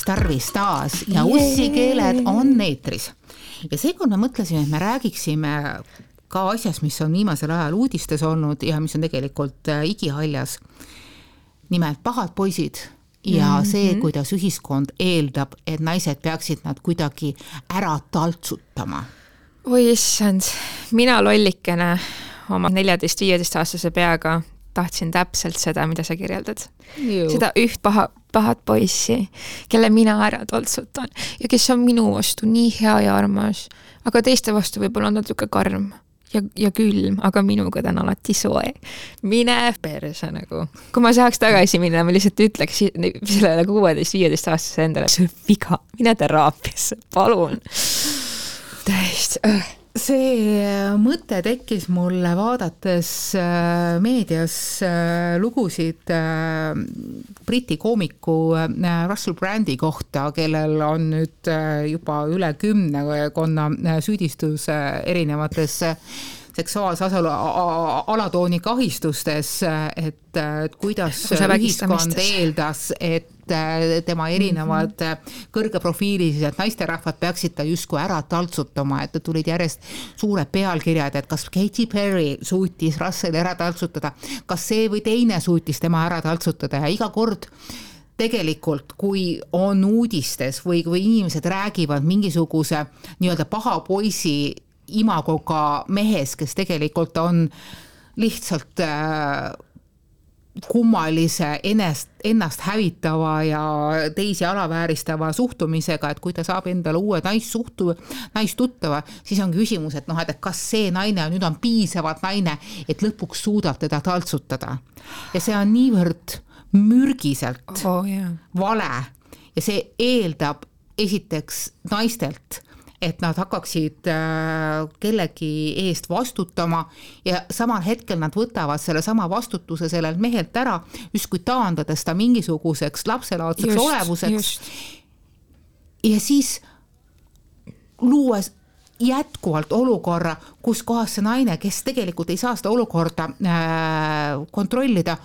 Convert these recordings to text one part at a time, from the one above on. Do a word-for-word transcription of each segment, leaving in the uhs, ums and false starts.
tarvis taas ja ussikeeled on eetris. Ja seekord me mõtlesime, et me räägiksime ka asjast, mis on viimasel ajal uudistes olnud ja mis on tegelikult igihaljas. Nimelt pahad poisid ja mm-hmm. see, kuidas ühiskond eeldab, et naised peaksid nad kuidagi ära taltsutama. Oi issand, mina lollikene oma neljateist-viieteist aastase peaga tahtsin täpselt seda, mida sa kirjeldad. Juh. Seda üht paha, pahat poissi, kelle mina ära toltsutan ja kes on minu vastu nii hea ja armas, aga teiste vastu võib-olla on natuke karm ja, ja külm, aga minuga ta on alati soe. Mine perse nagu. Kui ma saaks tagasi minna, ma lihtsalt ütleks sellele kuueteist-viieteist aastase endale, see on viga, mine teraapiasse, palun. Täist. See mõte tekkis mulle vaadates meedias lugusid Briti koomiku Russell Brandi kohta, kellel on nüüd juba üle kümne konna süüdistus erinevates seksuaalse alatooni kahistustes, et, et kuidas ühiskond eeldas, et tema erinevad mm-hmm. kõrgeprofiililised naisterahvad peaksid ta justkui ära taltsutama, et tulid järjest suured pealkirjad, et kas Katy Perry suutis Russell ära taltsutada, kas see või teine suutis tema ära taltsutada ja iga kord tegelikult, kui on uudistes või kui inimesed räägivad mingisuguse nii-öelda paha poisi imagoga mehes, kes tegelikult on lihtsalt äh, kummalise ennast, ennast hävitava ja teisi alavääristava suhtumisega, et kui ta saab endale uue naissuhtu, naistuttava, siis on küsimus, et noh, et kas see naine nüüd on piisavalt naine, et lõpuks suudab teda taltsutada. Ja see on niivõrd mürgiselt oh, yeah. vale ja see eeldab esiteks naistelt, et nad hakkaksid kellegi eest vastutama ja samal hetkel nad võtavad selle sama vastutuse sellelt mehelt ära, justkui taandades ta mingisuguseks lapselaadseks just, olevuseks. Just. Ja siis luues jätkuvalt olukorra, kus kohas see naine, kes tegelikult ei saa seda olukorda kontrollida,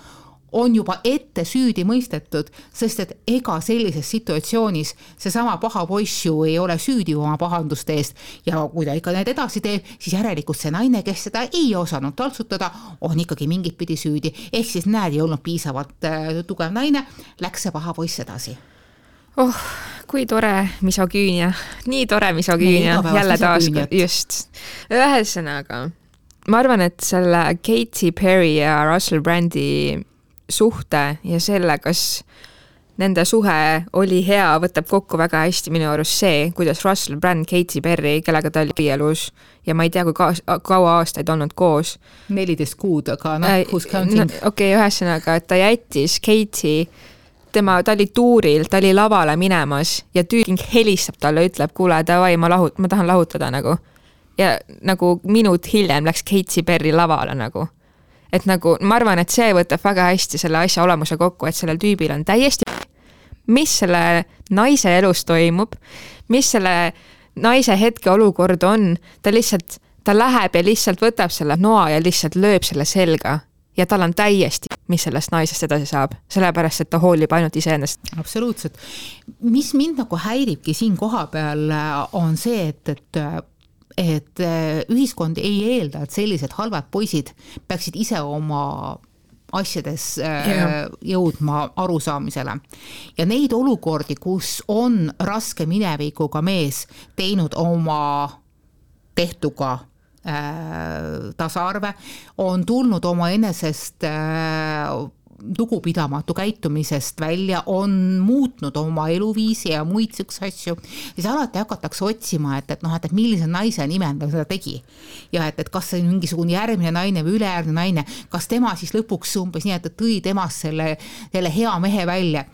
on juba ette süüdi mõistetud, sest et ega sellises situatsioonis see sama paha poiss ju ei ole süüdi oma pahanduste eest ja kui ta ikka need edasi teeb, siis järelikult see naine, kes seda ei osanud taltsutada, on ikkagi mingit pidi süüdi. Ehk siis näed, ei olnud piisavalt tugev naine, läks see paha poiss edasi. Oh, kui tore misogüünia. Nii tore misogüünia. Jälle taas, just. Ühesõnaga, ma arvan, et selle Katy Perry ja Russell Brandi suhte ja selle, kas nende suhe oli hea, võtab kokku väga hästi minu arust see, kuidas Russell Brand, Katy Perry, kellega ta oli abielus ja ma ei tea, kui ka- kaua aastaid olnud koos. neliteist kuud, aga noh, who's counting? No, okei, okay, ühesõnaga, et ta jättis Katy, tema, ta oli tuuril, ta oli lavale minemas ja tüüling helistab talle, ütleb, kuule, davai, ma, lahut, ma tahan lahutada nagu. Ja nagu minut hiljem läks Katy Perry lavale nagu. Et nagu, ma arvan, et see võtab väga hästi selle asja olemuse kokku, et sellel tüübil on täiesti, mis selle naise elus toimub, mis selle naise hetke olukord on, ta lihtsalt, ta läheb ja lihtsalt võtab selle noa ja lihtsalt lööb selle selga ja tal on täiesti, mis sellest naisest edasi saab, sellepärast, et ta hoolib ainult iseennast. Absoluutselt. Mis mind nagu häiribki siin koha peal on see, et, et et ühiskond ei eelda, et sellised halvad poisid peaksid ise oma asjades yeah. jõudma arusaamisele. Ja neid olukordi, kus on raske minevikuga mees teinud oma tehtuga äh, tasaarve, on tulnud oma enesest äh, lugupidamatu käitumisest välja, on muutnud oma eluviisi ja muid süks asju, siis alati hakatakse otsima, et, et, noh, et, et millise naise nimel ta seda tegi. Ja et, et kas see on mingisugune järgmine naine või ülejärgmine naine, kas tema siis lõpuks umbes nii, et tõi temast selle, selle hea mehe välja.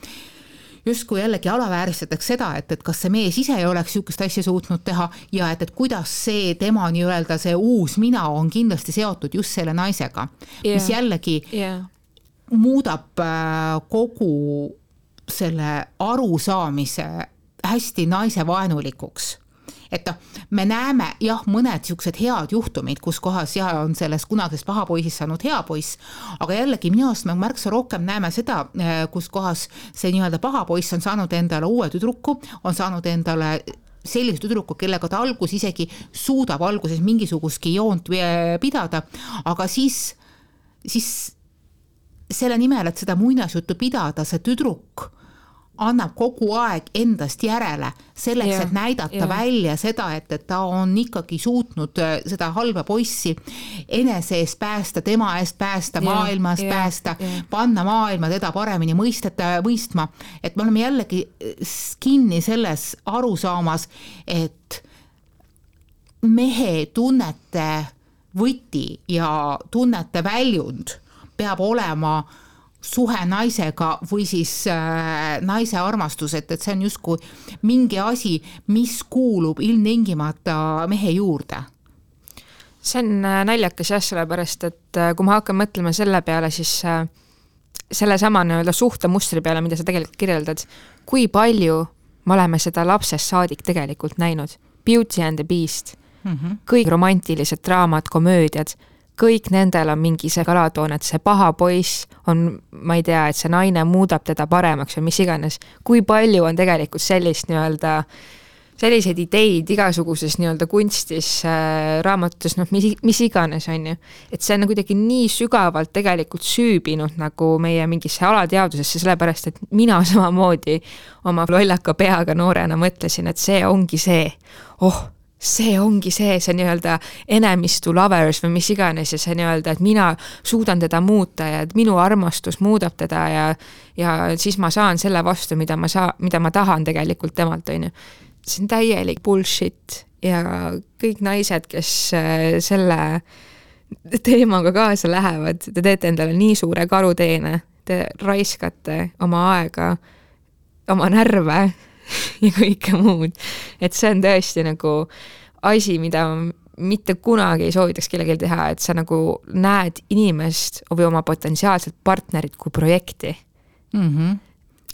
Just kui jällegi alavääristatakse seda, et, et kas see mees ise ei oleks sükest asja suutnud teha ja et, et kuidas see tema nii-öelda see uus mina on kindlasti seotud just selle naisega, yeah. mis jällegi yeah. muudab kogu selle arusaamise hästi naisevaenulikuks. et me näeme jah, mõned siuksed head juhtumid, kus kohas ja on sellest kunagisest pahapoisist saanud hea poiss, aga jällegi minu arust me märksa rohkem näeme seda, kus kohas see nii-öelda pahapoiss on saanud endale uue tüdruku, on saanud endale sellist tüdruku, kellega ta algus isegi suudab alguses mingisugustki joont pidada, aga siis, siis selle nimel, et seda muinasjuttu pidada, see tüdruk annab kogu aeg endast järele selleks, yeah, et näidata yeah. välja seda, et, et ta on ikkagi suutnud seda halba poissi enese eest päästa, tema eest päästa, yeah, maailmast yeah, päästa, yeah. panna maailma teda paremini mõisteta, mõistma, et me oleme jällegi kinni selles arusaamas, et mehe tunnete võti ja tunnete väljund peab olema suhe naisega või siis äh, naise armastus, et, et see on justkui mingi asi, mis kuulub ilmtingimata mehe juurde. See on naljakas jah, sellepärast, et kui ma hakkan mõtlema selle peale, siis äh, selle sama nii-öelda suhtemustri peale, mida sa tegelikult kirjeldad, kui palju me oleme seda lapsest saadik tegelikult näinud. Beauty and the Beast, mm-hmm. kõik romantilised draamad, komöödiad, kõik nendel on mingi see kalatoon, et see paha poiss on, ma ei tea, et see naine muudab teda paremaks või mis iganes. Kui palju on tegelikult sellist nii-öelda, selliseid ideid igasuguses nii-öelda kunstis, äh, raamatutes, noh, mis, mis iganes on ju. Et see on kuidagi nii sügavalt tegelikult süübinud nagu meie mingisse alateadusesse, sellepärast, et mina samamoodi oma lollaka peaga noorena mõtlesin, et see ongi see, oh, see ongi see, see nii-öelda enemies to lovers või mis iganes ja see nii-öelda, et mina suudan teda muuta ja et minu armastus muudab teda ja, ja siis ma saan selle vastu, mida ma, saa, mida ma tahan tegelikult temalt, on ju. See on täielik bullshit ja kõik naised, kes selle teemaga kaasa lähevad, te teete endale nii suure karuteene, te raiskate oma aega, oma närve ja kõike muud. Et see on tõesti nagu asi, mida mitte kunagi ei soovitaks kellelgi teha, et sa nagu näed inimest või oma potentsiaalset partnerit kui projekti. Mm-hmm.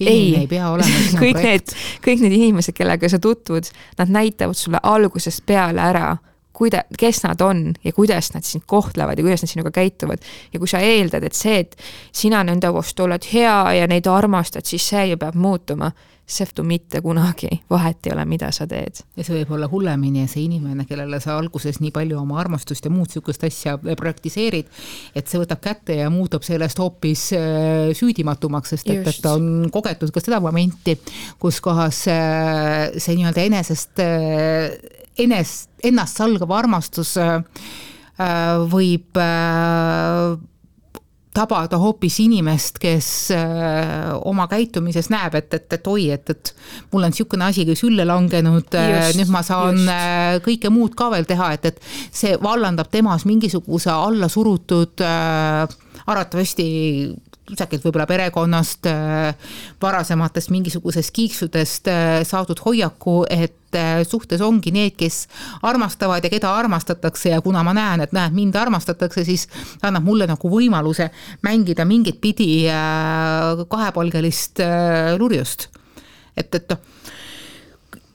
Ei, ei pea olema kõik need, kõik need inimesed, kellega sa tutvud, nad näitavad sulle algusest peale ära, kuida, kes nad on ja kuidas nad sind kohtlevad ja kuidas nad sinuga käituvad. Ja kui sa eeldad, et see, et sina nende vastu oled hea ja neid armastad, siis see ju peab muutuma. Seftu mitte kunagi, vahet ei ole, mida sa teed. Ja see võib olla hullemini ja see inimene, kellele sa alguses nii palju oma armastust ja muud sükust asja praktiseerid, et see võtab kätte ja muutub sellest hoopis süüdimatumaks, sest et, et ta on kogetud ka seda momenti, kus kohas see nii-öelda enesest, enest, ennast salgav armastus võib tabada hoopis inimest, kes äh, oma käitumises näeb, et, et, et oi, et, et mul on niisugune asi kui sülle langenud, just, nüüd ma saan just. kõike muud ka veel teha, et, et see vallandab temas mingisuguse alla surutud äh, arvatavasti kusagilt võib-olla perekonnast, varasematest mingisugusest kiiksudest saadud hoiaku, et suhtes ongi need, kes armastavad ja keda armastatakse ja kuna ma näen, et näed, mind armastatakse, siis annab mulle nagu võimaluse mängida mingit pidi kahepalgelist lurjust. Et, et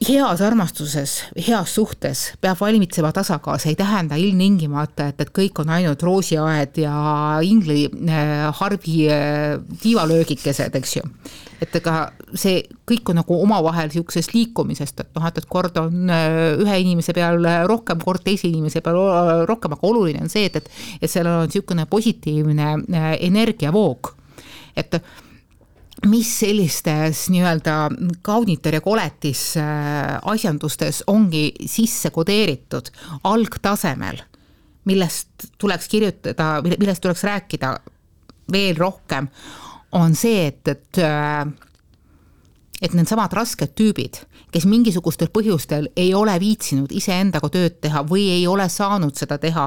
heas armastuses, heas suhtes peab valmitsema tasakaal, see ei tähenda ilmtingimata, et, et kõik on ainult roosiaed ja ingli äh, harvi äh, tiivalöögikesed, eks ju. Et ega see kõik on nagu omavahel siuksest liikumisest, et noh, et, et kord on äh, ühe inimese peal rohkem, kord teise inimese peal rohkem, aga oluline on see, et, et, et seal on siukene positiivne äh, energiavoog, et mis sellistes nii-öelda kaunitar ja koletis asjandustes ongi sisse kodeeritud algtasemel, millest tuleks kirjutada, millest tuleks rääkida veel rohkem, on see, et, et, et need samad rasked tüübid, kes mingisugustel põhjustel ei ole viitsinud iseendaga tööd teha või ei ole saanud seda teha,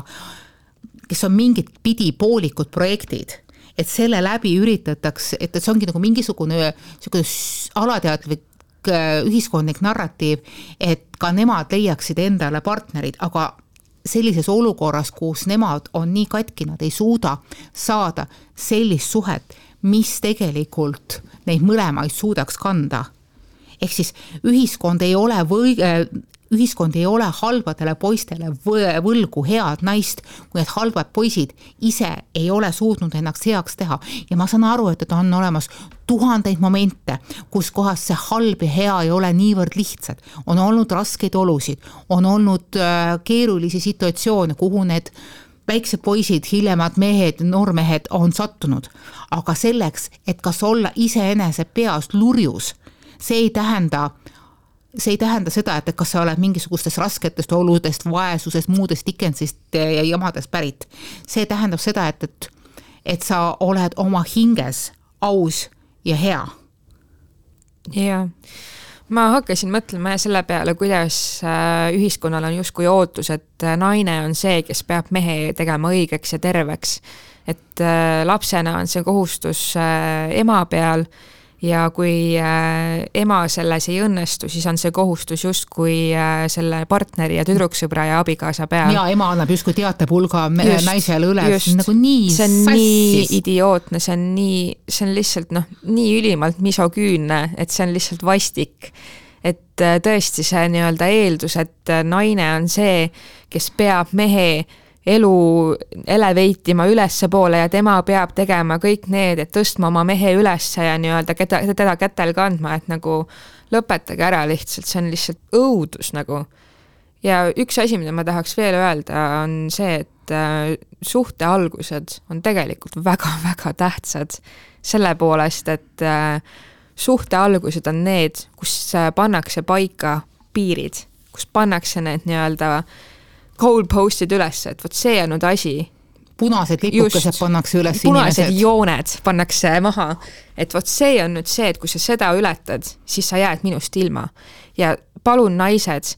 kes on mingit pidi poolikud projektid, et selle läbi üritatakse, et see ongi nagu mingisugune alateadlik ühiskondlik narratiiv, et ka nemad leiaksid endale partnerid, aga sellises olukorras, kus nemad on nii katki, nad ei suuda saada sellist suhet, mis tegelikult neid mõlemaid suudaks kanda. Ehk siis ühiskond ei ole või ühiskond ei ole halbadele poistele võlgu head naist, kui need halbad poisid ise ei ole suutnud ennast heaks teha. Ja ma saan aru, et on olemas tuhandeid momente, kus kohas see halb ja hea ei ole niivõrd lihtsad. On olnud raskeid olusid, on olnud keerulisi situatsioone, kuhu need väiksed poisid, hiljemad mehed, noormehed on sattunud. Aga selleks, et kas olla iseenese peas lurjus, see ei tähenda, see ei tähenda seda, et kas sa oled mingisugustest rasketest oludest, vaesusest, muudest Dickensist ja jamadest pärit. See tähendab seda, et, et, et sa oled oma hinges aus ja hea. Jaa. Ma hakkasin mõtlema selle peale, kuidas ühiskonnal on justkui ootus, et naine on see, kes peab mehe tegema õigeks ja terveks. Et lapsena on see kohustus ema peal ja kui ema selles ei õnnestu, siis on see kohustus justkui selle partneri ja tüdruksõbra ja abikaasa peal. Ja ema annab justkui teatepulga just, naisele üle. Just, nagu nii see on sassis. Nii idiootne, see on, nii, see on lihtsalt noh, nii ülimalt misoküünne, et see on lihtsalt vastik. Et tõesti see nii-öelda eeldus, et naine on see, kes peab mehe elu eleveitima ülesse poole ja tema peab tegema kõik need, et tõstma oma mehe ülesse ja nii-öelda teda, teda kätel kandma, et nagu lõpetage ära lihtsalt, see on lihtsalt õudus nagu. Ja üks asi, mida ma tahaks veel öelda, on see, et suhte algused on tegelikult väga-väga tähtsad selle poolest, et suhte algused on need, kus pannakse paika piirid, kus pannakse need nii-öelda goalpostid üles, et võt see on nüüd asi. Punased lipukesed pannakse üles punased inimesed. jooned pannakse maha, et võt see on nüüd see, et kui sa seda ületad, siis sa jääd minust ilma. Ja palun naised,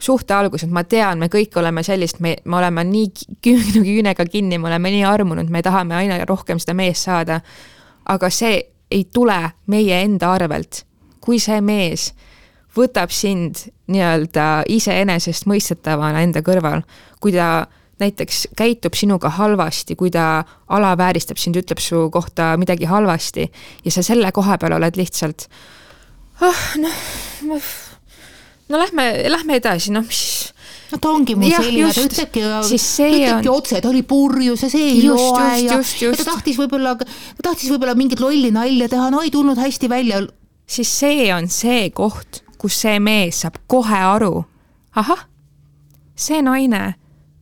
suhte algused, ma tean, me kõik oleme sellist, me, me oleme nii küünega kinni, me oleme nii armunud, me tahame aina rohkem seda mees saada, aga see ei tule meie enda arvelt. Kui see mees võtab sind nii-öelda iseenesest mõistetavana enda kõrval, kui ta näiteks käitub sinuga halvasti, kui ta alavääristab sind, ütleb su kohta midagi halvasti ja sa selle koha peal oled lihtsalt oh, no, no lähme, lähme edasi, noh mis no ta ongi mul selline, ta ütlebki, ütlebki on... otse, ta oli purjus ja see ei just, loe just, ja, just, just. ja ta tahtis võib-olla, ta tahtis võib-olla mingit lolli nalja teha, no ei tulnud hästi välja. Siis see on see koht, kus see mees saab kohe aru, ahah, see naine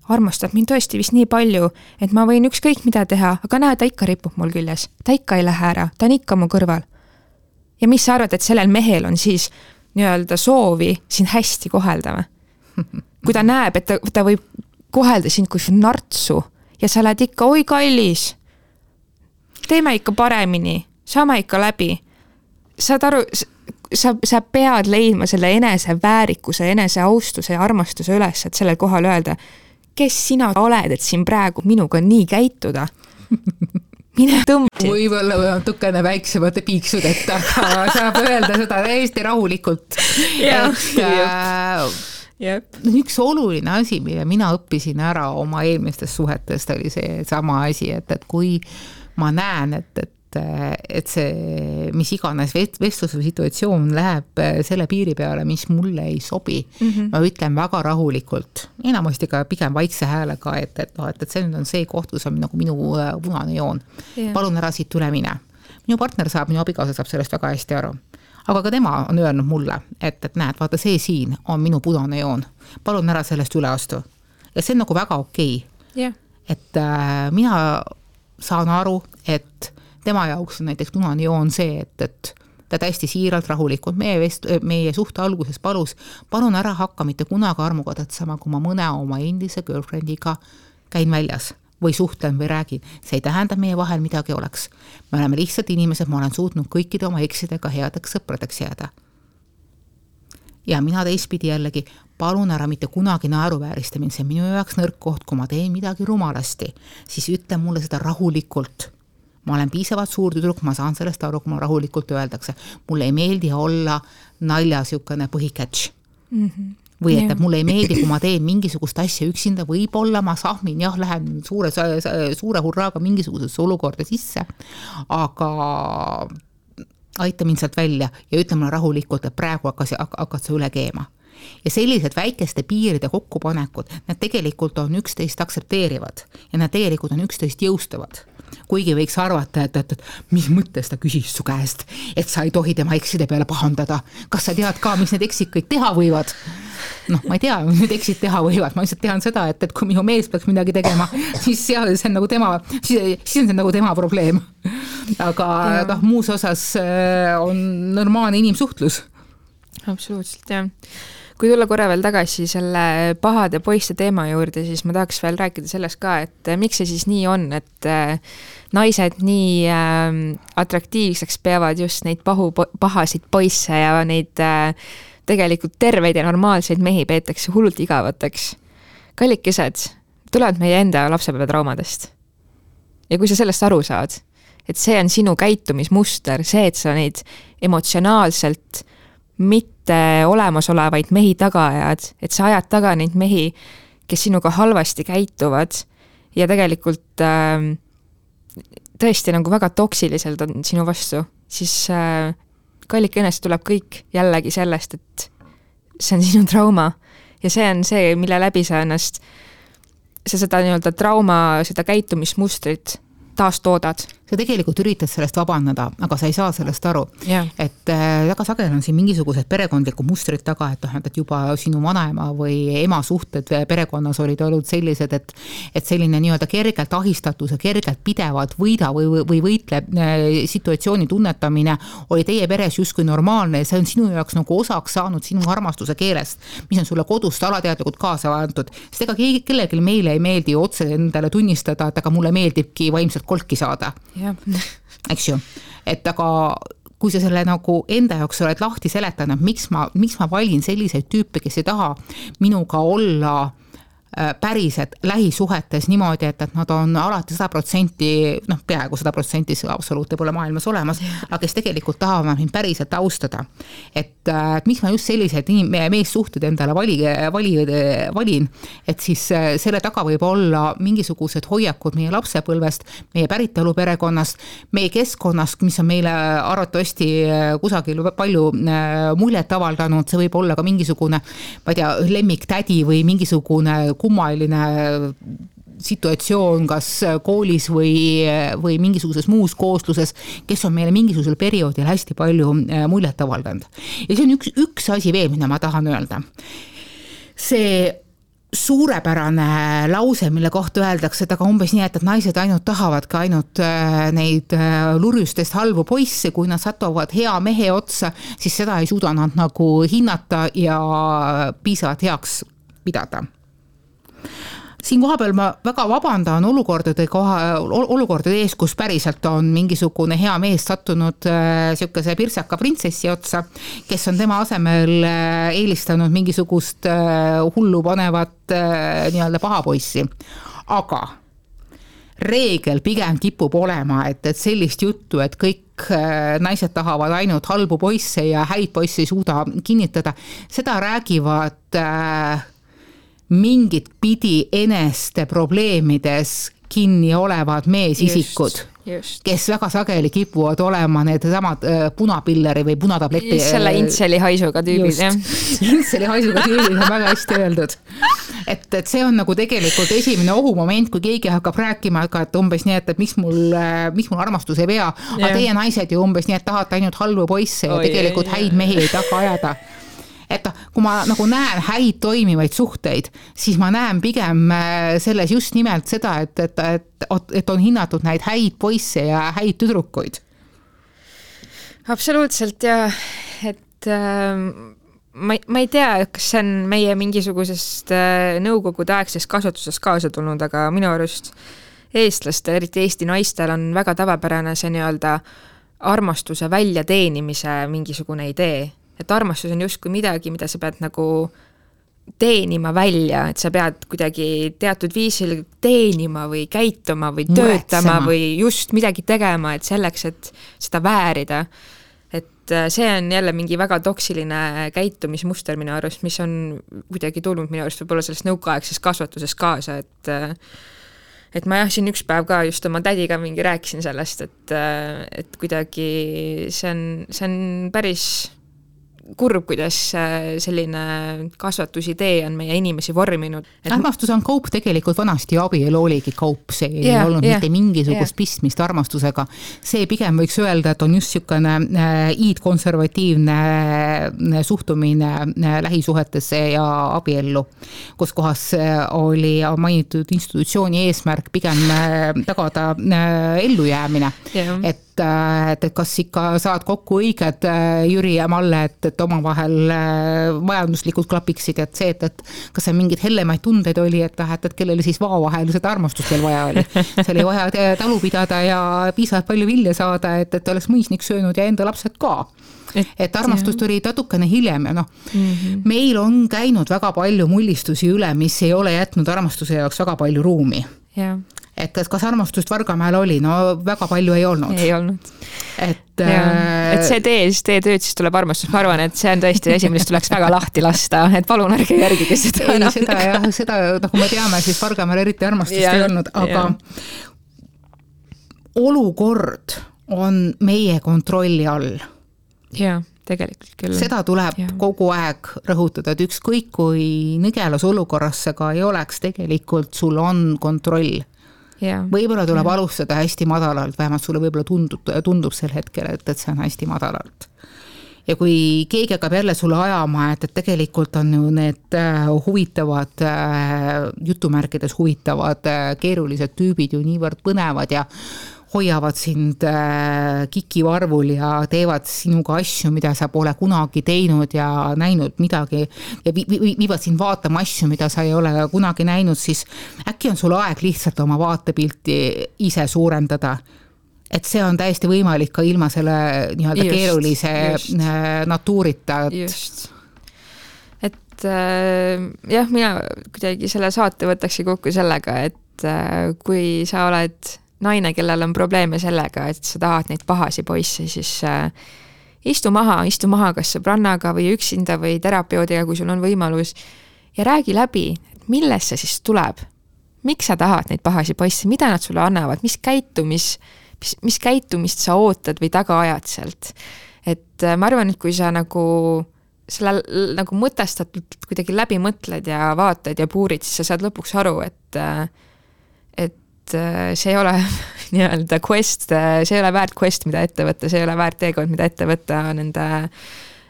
armastab mind tõesti vist nii palju, et ma võin ükskõik mida teha, aga näe, ta ikka ripub mul küljes, ta ikka ei lähe ära, ta on ikka mu kõrval. Ja mis sa arvad, et sellel mehel on siis nii-öelda soovi sind hästi kohelda või? Kui ta näeb, et ta, ta võib kohelda sind kui nartsu ja sa oled ikka, oi kallis, teeme ikka paremini, saame ikka läbi. Saad aru, sa, sa pead leidma selle enese väärikuse, enese austuse ja armastuse üles, et sellel kohal öelda, kes sina oled, et siin praegu minuga nii käituda? Mine tõmbasid. Võib-olla või natukene väiksemate piiksudeta, aga saab öelda seda täiesti rahulikult. Ja, et äh, Jep. üks oluline asi, mille mina õppisin ära oma eelmistest suhetest, oli see sama asi, et, et kui ma näen, et, et et see, mis iganes vestluse situatsioon läheb selle piiri peale, mis mulle ei sobi, mm-hmm. ma ütlen väga rahulikult, enamasti ka pigem vaikse häälega, et, et, no, et, et see on see koht, kus on nagu minu punane joon. Yeah. Palun ära siit üle mine. Minu partner saab, minu abikaasa saab sellest väga hästi aru. Aga ka tema on öelnud mulle, et, et näed, vaata see siin on minu punane joon. Palun ära sellest üle astu. Ja see on nagu väga okei. Yeah. Et äh, mina saan aru, et tema jaoks on näiteks punane joon see, et, et ta täiesti siiralt rahulikult meie, vest, meie suhte alguses palus, palun ära hakka mitte kunagi armuga tatsama, kui ma mõne oma endise girlfriendiga käin väljas või suhtlen või räägin. See ei tähenda meie vahel midagi oleks. Me oleme lihtsalt inimesed, ma olen suutnud kõikide oma eksidega headeks sõpradeks jääda. Ja mina teistpidi jällegi, palun ära mitte kunagi naeruväärista mind, see on minu jaoks nõrk koht, kui ma teen midagi rumalasti, siis ütle mulle seda rahulikult. Ma olen piisavalt suur tüdruk, ma saan sellest aru, kui ma rahulikult öeldakse. Mulle ei meeldi olla nalja siukene põhikätš. Mm-hmm. Või et, et mulle ei meeldi, kui ma teen mingisugust asja üksinda, võib-olla ma sahmin, jah, lähen suure, suure hurraaga mingisugusesse olukorda sisse, aga aita mind sealt välja ja ütle mulle rahulikult, et praegu hakkas, hakkad sa üle keema. ja sellised väikeste piiride kokkupanekud, need tegelikult on üksteist aktsepteerivad ja need tegelikult on üksteist jõustavad. Kuigi võiks arvata, et, et, et mis mõttes ta küsis su käest, et sa ei tohi tema ekside peale pahandada. Kas sa tead ka, mis need eksid kõik teha võivad? Noh, ma ei tea, need eksid teha võivad. Ma lihtsalt tean seda, et, et kui minu mees peaks midagi tegema, siis seal see on nagu tema, siis, siis on see nagu tema probleem. Aga, aga muus osas on normaalne inimsuhtlus. Absoluutselt, jah. Kui tulla korra veel tagasi selle pahade poiste teema juurde, siis ma tahaks veel rääkida sellest ka, et miks see siis nii on, et naised nii atraktiivseks peavad just neid pahu, pahasid poisse ja neid tegelikult terveid ja normaalseid mehi peetakse hullult igavateks. Kallikesed tulevad meie enda lapsepäevatraumadest. Ja kui sa sellest aru saad, et see on sinu käitumismuster, see, et sa neid emotsionaalselt mitte olemasolevaid mehi taga ajad, et sa ajad taga neid mehi, kes sinuga halvasti käituvad ja tegelikult äh, tõesti nagu väga toksiliselt on sinu vastu, siis äh, kallikõnest tuleb kõik jällegi sellest, et see on sinu trauma ja see on see, mille läbi sa ennast, sa seda nii-öelda trauma, seda käitumismustrit taastoodad. Sa tegelikult üritad sellest vabandada, aga sa ei saa sellest aru. Yeah. Et äh, väga sageli on siin mingisugused perekondlikud mustrid taga, et, et juba sinu vanaema või ema suhted perekonnas olid olnud sellised, et, et selline nii-öelda kergelt ahistatus ja kergelt pidevalt võida või, või võitle situatsiooni tunnetamine oli teie peres justkui normaalne ja see on sinu jaoks nagu osaks saanud sinu armastuse keelest, mis on sulle kodust alateadlikult kaasa antud. Sest ega kellelgi meile ei meeldi otse endale tunnistada, et aga mulle meeldibki vaimselt kolki saada. Ja. Eks ju, et aga kui sa selle nagu enda jaoks oled lahti seletanud, miks ma, miks ma valin selliseid tüüpe, kes ei taha minuga olla päriselt lähisuhetes niimoodi, et, et nad on alati sada protsenti, noh peaaegu sada protsenti absoluuti pole maailmas olemas, aga kes tegelikult tahavad mind päriselt austada. Et, et miks ma just sellised inim, meessuhted endale vali, vali, valin, et siis selle taga võib olla mingisugused hoiakud meie lapsepõlvest, meie päritolu perekonnast, meie keskkonnast, mis on meile arvatavasti kusagil palju muljet avaldanud, see võib olla ka mingisugune, ma ei tea, lemmiktädi või mingisugune kummaline situatsioon kas koolis või, või mingisuguses muus koosluses, kes on meile mingisugusel perioodil hästi palju muljet avaldanud. Ja see on üks, üks asi veel, mida ma tahan öelda. See suurepärane lause, mille kohta öeldakse, et aga umbes nii, et, et naised ainult tahavad ka ainult neid lurjustest halvu poisse, kui nad satuvad hea mehe otsa, siis seda ei suuda nad nagu hinnata ja piisavalt heaks pidada. Siin koha peal ma väga vabandan olukordade, koha, olukordade ees, kus päriselt on mingisugune hea mees sattunud äh, siukese pirtsaka printsessi otsa, kes on tema asemel äh, eelistanud mingisugust äh, hullu panevat äh, nii-öelda pahapoissi. Aga reegel pigem kipub olema, et, et sellist juttu, et kõik äh, naised tahavad ainult halbu poisse ja häid poisse ei suuda kinnitada, seda räägivad äh, mingit pidi eneste probleemides kinni olevad meesisikud, just, just. Kes väga sageli kipuvad olema need samad äh, punapilleri või punatableti. Selle intseli haisuga tüübid, jah. Intseli haisuga tüübid on väga hästi öeldud. Et, et see on nagu tegelikult esimene ohumoment, kui keegi hakkab rääkima, et umbes nii, et, et miks, mul, miks mul armastus ei pea, aga teie naised ju umbes nii, et tahate ainult halvu poisse ja oh, tegelikult yeah, häid yeah. mehi ei taha ajada. Et kui ma nagu näen häid toimivaid suhteid, siis ma näen pigem selles just nimelt seda, et, et, et, et on hinnatud näid häid poisse ja häid tüdrukuid. Absoluutselt ja et äh, ma, ma ei tea, kas see on meie mingisugusest äh, nõukogude aegsest kasvatusest kaasa tulnud, aga minu arust eestlastel, eriti Eesti naistel on väga tavapärane see nii-öelda armastuse väljateenimise mingisugune idee. Et armastus on justkui midagi, mida sa pead nagu teenima välja, et sa pead kuidagi teatud viisil teenima või käituma või töötama Muretsema. Või just midagi tegema, et selleks, et seda väärida. Et see on jälle mingi väga toksiline käitumismuster minu arust, mis on kuidagi tulnud minu arust võib-olla sellest nõukaaegses kasvatuses kaasa, et et ma jah, siin üks päev ka just oma tädiga mingi rääkisin sellest, et, et kuidagi see on, see on päris kurb, kuidas selline kasvatusidee on meie inimesi vorminud. Et... armastus on kaup tegelikult vanasti, abielu oligi kaup, see ei yeah, olnud yeah, mitte mingisugust yeah. pistmist armastusega. See pigem võiks öelda, et on just niisugune iidkonservatiivne suhtumine lähisuhetesse ja abiellu, kus kohas oli mainitud institutsiooni eesmärk pigem tagada ellujäämine. Yeah. Et et kas ikka saad kokku õiged Jüri ja Malle, et, et oma vahel majanduslikult klapiksid, et see, et, et kas see mingid hellemaid tundeid oli, et, et, et kellele siis vao vahel seda armastust veel vaja oli. See oli vaja talu pidada ja piisavalt palju vilja saada, et, et oleks mõisnik söönud ja enda lapsed ka. Et, et armastust oli tatukene hiljem ja noh, mm-hmm. meil on käinud väga palju mullistusi üle, mis ei ole jätnud armastuse jaoks väga palju ruumi. Yeah. Et kas armastust Vargamäel oli? No väga palju ei olnud. Ei olnud. Et, ja, et see tee, siis tee tööd, siis tuleb armastus. Ma arvan, et see on tõesti asi, millest tuleks väga lahti lasta. Et palun ärge järgige seda. Ei, seda, jah, seda, nagu me teame, siis Vargamäel eriti armastust ja, ei olnud, aga ja. olukord on meie kontrolli all. Jaa, tegelikult küll. Seda tuleb ja. kogu aeg rõhutada, et ükskõik kui nõgelas olukorras see ka ei oleks, tegelikult sul on kontroll. Ja. Võib-olla tuleb ja. alustada hästi madalalt, vähemalt sulle võib-olla tundub, tundub sel hetkel, et, et see on hästi madalalt. Ja kui keegi hakkab jälle sulle ajama, et, et tegelikult on ju need huvitavad, jutumärkides huvitavad, keerulised tüübid ju niivõrd põnevad ja hoiavad sind kikivarvul ja teevad sinuga asju, mida sa pole kunagi teinud ja näinud midagi ja viivad sind vaatama asju, mida sa ei ole kunagi näinud, siis äkki on sul aeg lihtsalt oma vaatepilti ise suurendada. Et see on täiesti võimalik ka ilma selle nii-öelda just, keerulise just. natuurita. Et... just. Et äh, jah, mina kuidagi selle saate võtaksin kokku sellega, et äh, kui sa oled naine, kellel on probleeme sellega, et sa tahad neid pahasi poisse, siis äh, istu maha, istu maha kas sõbrannaga või üksinda või terapeutiga, kui sul on võimalus ja räägi läbi, et millest see siis tuleb. Miks sa tahad neid pahasi poisse, mida nad sulle annavad, mis käitumis, mis, mis käitumist sa ootad või taga ajad sealt. Et äh, ma arvan, et kui sa nagu selle nagu mõtestatult kuidagi läbi mõtled ja vaatad ja puurid, siis sa saad lõpuks aru, et äh, et see ei ole nii-öelda quest, see ei ole väärt quest, mida ette võtta, see ei ole väärt teekond, mida ette võtta nende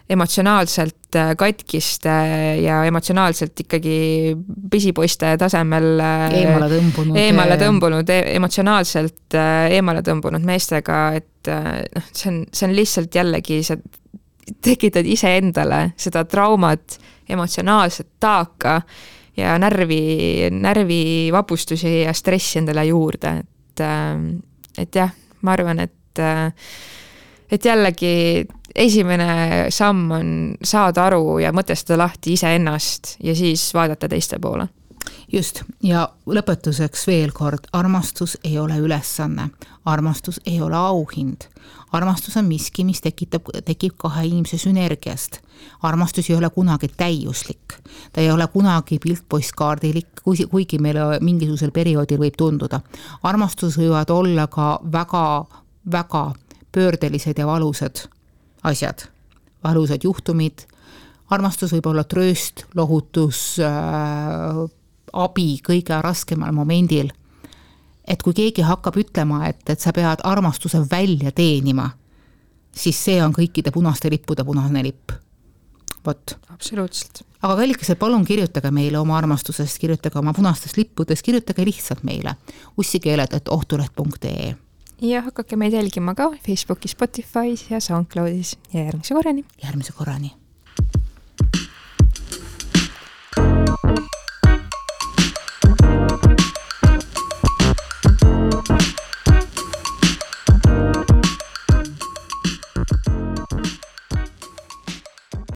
emotsionaalselt katkiste ja emotsionaalselt ikkagi pisipoiste tasemel eemale tõmbunud, eemale tõmbunud emotsionaalselt eemale tõmbunud meestega, et noh, see on, see on lihtsalt jällegi, sa tekitad ise endale seda traumat, emotsionaalset taaka ja närvi, närvi vapustusi ja stressi endale juurde. Et, et jah, ma arvan, et, et jällegi esimene samm on saada aru ja mõtestada lahti ise ennast ja siis vaadata teiste poole. Just, ja lõpetuseks veel kord, armastus ei ole ülesanne, armastus ei ole auhind. Armastus on miski, mis tekitab, tekib kahe inimese sünergiast. Armastus ei ole kunagi täiuslik. Ta ei ole kunagi piltpostkaardilik, kuigi meile mingisugusel perioodil võib tunduda. Armastus võivad olla ka väga, väga pöördelised ja valusad asjad. Valusad juhtumid. Armastus võib olla trööst, lohutus, äh, abi kõige raskemal momendil. Et kui keegi hakkab ütlema, et, et sa pead armastuse välja teenima, siis see on kõikide punaste lippude punane lipp. Vot. Absoluutselt. Aga kallikesed, palun kirjutage meile oma armastusest, kirjutage oma punastest lippudest, kirjutage lihtsalt meile ussikeeled et ohtuleht punkt ee. Ja hakake meid jälgima ka Facebookis, Spotify's ja SoundCloudis ja järgmise korrani. Järgmise korrani.